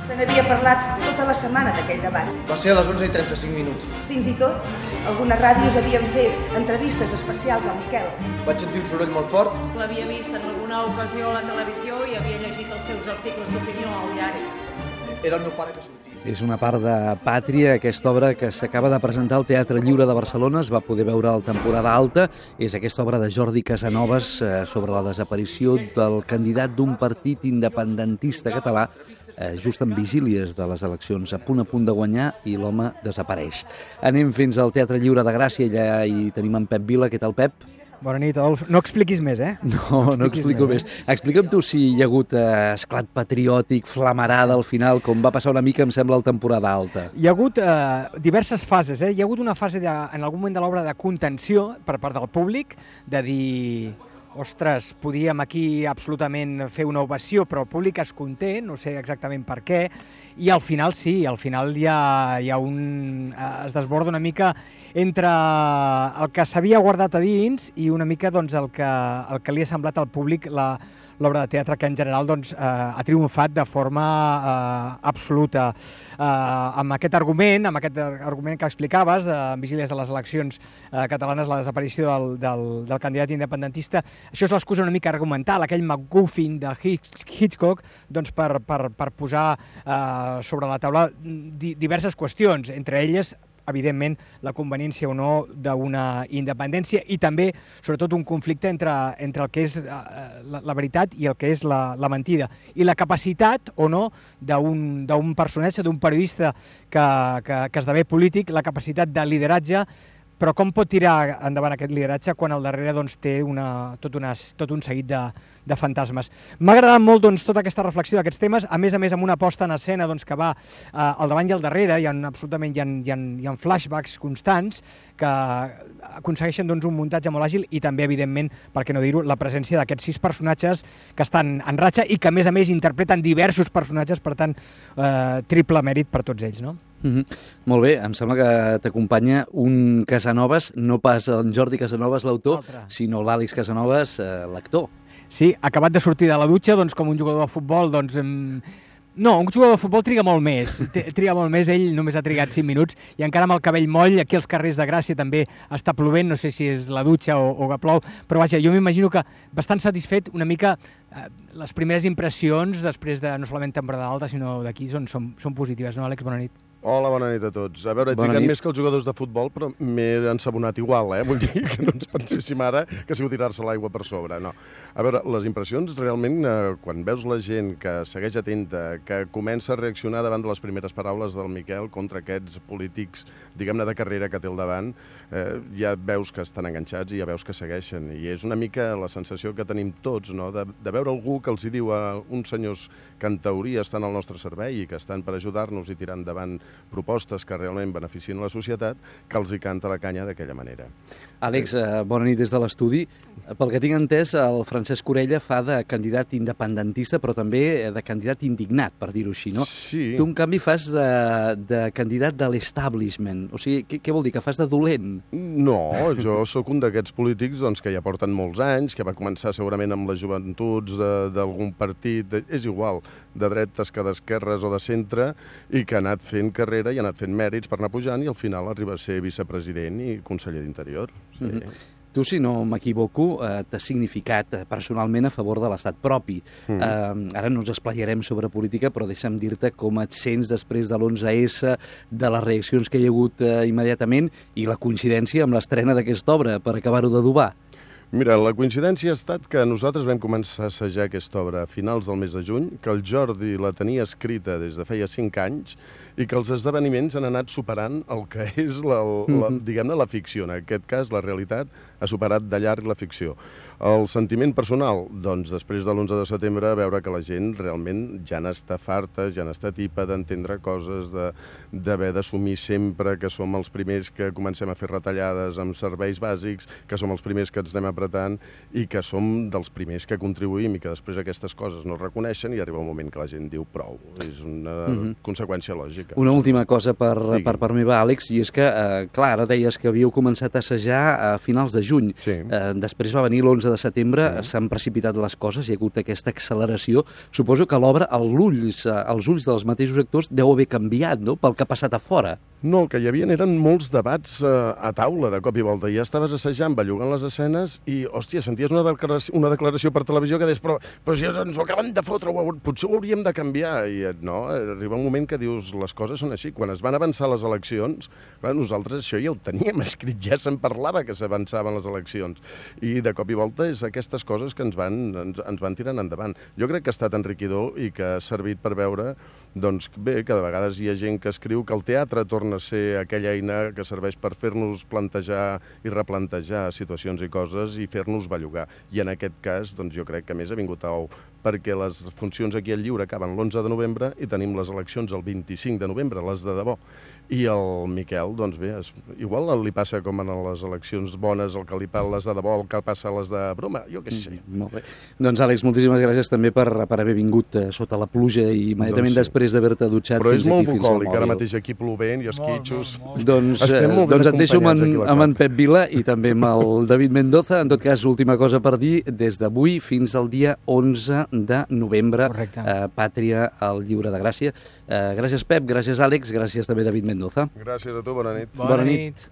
Se n'havia parlat tota la setmana d'aquell debat. Va ser a les 11:35. Fins i tot, algunes ràdios havien fet entrevistes especials al Miquel. Vaig sentir un soroll molt fort. L'havia vist en alguna ocasió a la televisió i havia llegit els seus articles d'opinió al diari. Era el meu pare que sortia. És una part de Pàtria, aquesta obra que s'acaba de presentar al Teatre Lliure de Barcelona, es va poder veure a la temporada alta. És aquesta obra de Jordi Casanovas sobre la desaparició del candidat d'un partit independentista català just en vigílies de les eleccions, a punt de guanyar, i l'home desapareix. Anem fins al Teatre Lliure de Gràcia, allà hi tenim en Pep Vila. Què tal, Pep? Bona nit, Adolf. No expliquis més, eh? No explico més. Explica'm tu si hi ha hagut esclat patriòtic, flamarada al final, com va passar una mica, em sembla, a la temporada alta. Hi ha hagut diverses fases, eh? Hi ha hagut una fase, en algun moment de l'obra, de contenció per part del públic, de dir... Ostres, podíem aquí absolutament fer una ovació, però el públic es conté, no sé exactament per què, i al final sí, al final hi ha un... es desborda una mica entre el que s'havia guardat a dins i una mica doncs, el que li ha semblat al públic l'obra de teatre, que en general doncs, ha triomfat de forma absoluta. Amb aquest argument que explicaves, en vigílies de les eleccions catalanes, la desaparició del candidat independentista, això és l'excusa una mica argumental, aquell MacGuffin de Hitchcock, doncs, per posar sobre la taula diverses qüestions, entre elles evidentment, la conveniència o no d'una independència i també, sobretot, un conflicte entre el que és la veritat i el que és la mentida. I la capacitat o no d'un personatge, d'un periodista que esdevé polític, la capacitat de lideratge, però com pot tirar endavant aquest lideratge quan al darrere doncs, té tot un seguit de fantasmes. M'ha agradat molt doncs, tota aquesta reflexió d'aquests temes, a més amb una posta en escena doncs, que va al davant i al darrere, hi ha flashbacks constants que aconsegueixen doncs, un muntatge molt àgil i també, evidentment, per què no dir-ho, la presència d'aquests 6 personatges que estan en ratxa i que, a més, interpreten diversos personatges, per tant, triple mèrit per tots ells, no? Molt bé, em sembla que t'acompanya un Casanovas, no pas en Jordi Casanovas, l'autor, sinó l'Àlex Casanovas, l'actor. Sí, acabat de sortir de la dutxa, doncs, com un jugador de futbol, doncs... No, un jugador de futbol triga molt més, ell només ha trigat 5 minuts i encara amb el cabell moll, aquí als carrers de Gràcia també està plovent, no sé si és la dutxa o que plou, però vaja, jo m'imagino que bastant satisfet una mica les primeres impressions després de no solament temporada alta, sinó d'aquí són positives, no, Àlex? Bona nit. Hola, bona nit a tots. A veure, he trigat més que els jugadors de futbol, però m'he ensabonat igual, eh? Vull dir que no ens penséssim ara que ha sigut tirar-se l'aigua per sobre, no. A veure, les impressions realment, quan veus la gent que segueix atenta, que comença a reaccionar davant de les primeres paraules del Miquel contra aquests polítics, diguem-ne, de carrera que té al davant, ja veus que estan enganxats i ja veus que segueixen. I és una mica la sensació que tenim tots, no?, de veure algú que els hi diu a uns senyors que en teoria estan al nostre servei i que estan per ajudar-nos i tirar endavant propostes que realment beneficien la societat, que els hi canta la canya d'aquella manera. Àlex, bona nit des de l'estudi. Pel que tinc entès, el Francesc Orella fa de candidat independentista, però també de candidat indignat, per dir-ho així, no? Sí. Tu, en canvi, fas de candidat de l'establishment. O sigui, què vol dir? Que fas de dolent? No, jo sóc un d'aquests polítics doncs, que ja porten molts anys, que va començar segurament amb les joventuts d'algun partit, és igual, de dretes que d'esquerres o de centre, i que ha anat fent carrera i ha anat fent mèrits per anar pujant i al final arriba a ser vicepresident i conseller d'Interior. Sí. Tu, si no m'equivoco, t'has significat personalment a favor de l'estat propi. Ara no ens esplaiarem sobre política, però deixa'm dir-te com et sents després de l'11S, de les reaccions que hi ha hagut immediatament i la coincidència amb l'estrena d'aquesta obra, per acabar-ho d'adobar. Mira, la coincidència ha estat que nosaltres vam començar a assajar aquesta obra a finals del mes de juny, que el Jordi la tenia escrita des de feia 5 anys i que els esdeveniments han anat superant el que és, diguem-ne, la ficció. En aquest cas, la realitat ha superat de llarg la ficció. El sentiment personal, doncs, després de l'11 de setembre, veure que la gent realment ja n'està farta, ja n'està tipa d'entendre coses, d'haver d'assumir sempre que som els primers que comencem a fer retallades amb serveis bàsics, que som els primers que ens anem a apretant, i que som dels primers que contribuïm i que després aquestes coses no es reconeixen i arriba un moment que la gent diu prou. És una conseqüència lògica. Una última cosa per part meva, Àlex, i és que, clar, ara deies que havíeu començat a assajar a finals de juny. Sí. Després va venir l'11 de setembre, s'han precipitat les coses, hi ha hagut aquesta acceleració. Suposo que l'obra, als ulls dels mateixos actors, deu haver canviat, no?, pel que ha passat a fora. No, el que hi havia eren molts debats a taula de cop i volta. Ja estaves assajant, bellugant les escenes i, hòstia, senties una declaració per televisió que deies, però si ens ho acaben de fotre, potser ho hauríem de canviar. I no, arriba un moment que dius, les coses són així. Quan es van avançar les eleccions, clar, nosaltres això ja ho teníem escrit, ja se'n parlava que s'avançaven les eleccions. I de cop i volta és aquestes coses que ens van tirant endavant. Jo crec que ha estat enriquidor i que ha servit per veure, doncs bé, que de vegades hi ha gent que escriu que el teatre torna a ser aquella eina que serveix per fer-nos plantejar i replantejar situacions i coses i fer-nos bellugar. I en aquest cas, doncs jo crec que més ha vingut a ou, perquè les funcions aquí al Lliure acaben l'11 de novembre i tenim les eleccions el 25 de novembre, les de debò. I el Miquel, doncs bé, igual li passa com en les eleccions bones, el que li passa les de debò, el que passa a les de broma, jo què sé. Molt bé. Doncs, Àlex, moltíssimes gràcies també per haver vingut sota la pluja i immediatament després d'haver-te dutxat però fins aquí, fins al mòbil. Però és molt bucòlic, ara mateix aquí plovent i esquitxos. Doncs et deixo amb en Pep Vila i també amb el David Mendoza. En tot cas, última cosa per dir, des d'avui fins al dia 11 de novembre, Pàtria al Lliure de Gràcia. Gràcies, Pep, gràcies, Àlex, gràcies també, David Mendoza. Gràcies a tu, bona nit. Bona nit.